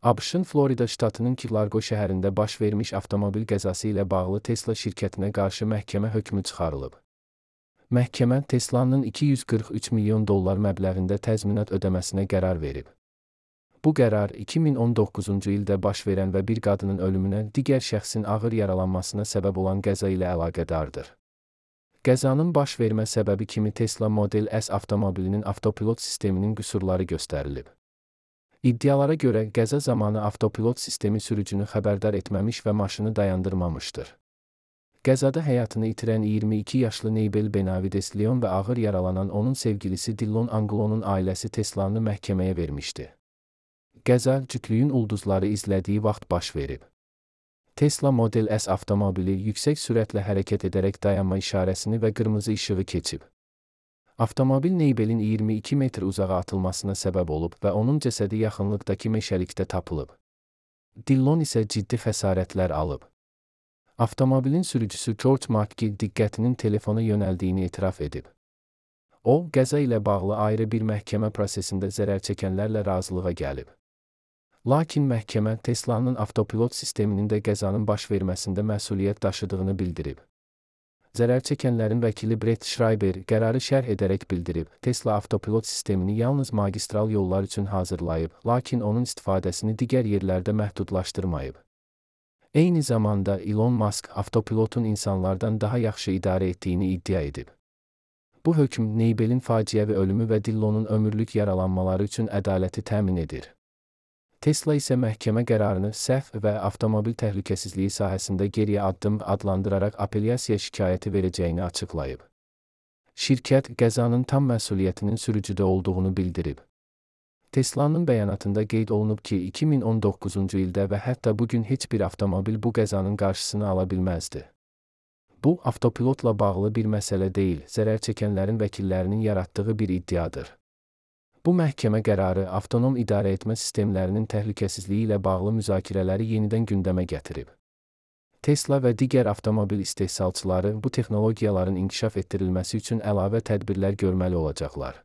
ABŞ-ın Florida ştatının Key-Largo şəhərində baş vermiş avtomobil qəzası ilə bağlı Tesla şirkətinə qarşı məhkəmə hökmü çıxarılıb. Məhkəmə Teslanın $243 milyon məbləğində təzminat ödəməsinə qərar verib. Bu qərar 2019-cu ildə baş verən və bir qadının ölümünə, digər şəxsin ağır yaralanmasına səbəb olan qəza ilə əlaqədardır. Qəzanın baş vermə səbəbi kimi Tesla Model S avtomobilinin avtopilot sisteminin qüsurları göstərilib. İddialara görə qəza zamanı avtopilot sistemi sürücünü xəbərdar etməmiş və maşını dayandırmamışdır. Qəzada həyatını itirən 22 yaşlı Neybel Benavides Leon və ağır yaralanan onun sevgilisi Dillon Angulonun ailəsi Teslanı məhkəməyə vermişdi. Qəza cütlüyün ulduzları izlədiyi vaxt baş verib. Tesla Model S avtomobili yüksək sürətlə hərəkət edərək dayanma işarəsini və qırmızı işığı keçib. Avtomobil Neybelin 22 metr uzağa atılmasına səbəb olub və onun cəsədi yaxınlıqdakı meşəlikdə tapılıb. Dillon isə ciddi xəsarətlər alıb. Avtomobilin sürücüsü George McGill diqqətinin telefona yönəldiyini etiraf edib. O, qəza ilə bağlı ayrı bir məhkəmə prosesində zərər çəkənlərlə razılığa gəlib. Lakin məhkəmə Teslanın avtopilot sisteminin də qəzanın baş verməsində məsuliyyət daşıdığını bildirib. Zərər çəkənlərin vəkili Brett Schreiber qərarı şərh edərək bildirib, Tesla avtopilot sistemini yalnız magistral yollar üçün hazırlayıb, lakin onun istifadəsini digər yerlərdə məhdudlaşdırmayıb. Eyni zamanda Elon Musk avtopilotun insanlardan daha yaxşı idarə etdiyini iddia edib. Bu hökm Neybelin faciəvi ölümü və Dillonun ömürlük yaralanmaları üçün ədaləti təmin edir. Tesla isə məhkəmə qərarını səhv və avtomobil təhlükəsizliyi sahəsində geriyə addım adlandıraraq apellyasiya şikayəti verəcəyini açıqlayıb. Şirkət qəzanın tam məsuliyyətinin sürücüdə olduğunu bildirib. Teslanın bəyanatında qeyd olunub ki, 2019-cu ildə və hətta bugün heç bir avtomobil bu qəzanın qarşısını ala bilməzdi. Bu, avtopilotla bağlı bir məsələ deyil, zərər çəkənlərin vəkillərinin yaratdığı bir iddiadır. Bu məhkəmə qərarı avtonom idarə etmə sistemlərinin təhlükəsizliyi ilə bağlı müzakirələri yenidən gündəmə gətirib. Tesla və digər avtomobil istehsalçıları bu texnologiyaların inkişaf etdirilməsi üçün əlavə tədbirlər görməli olacaqlar.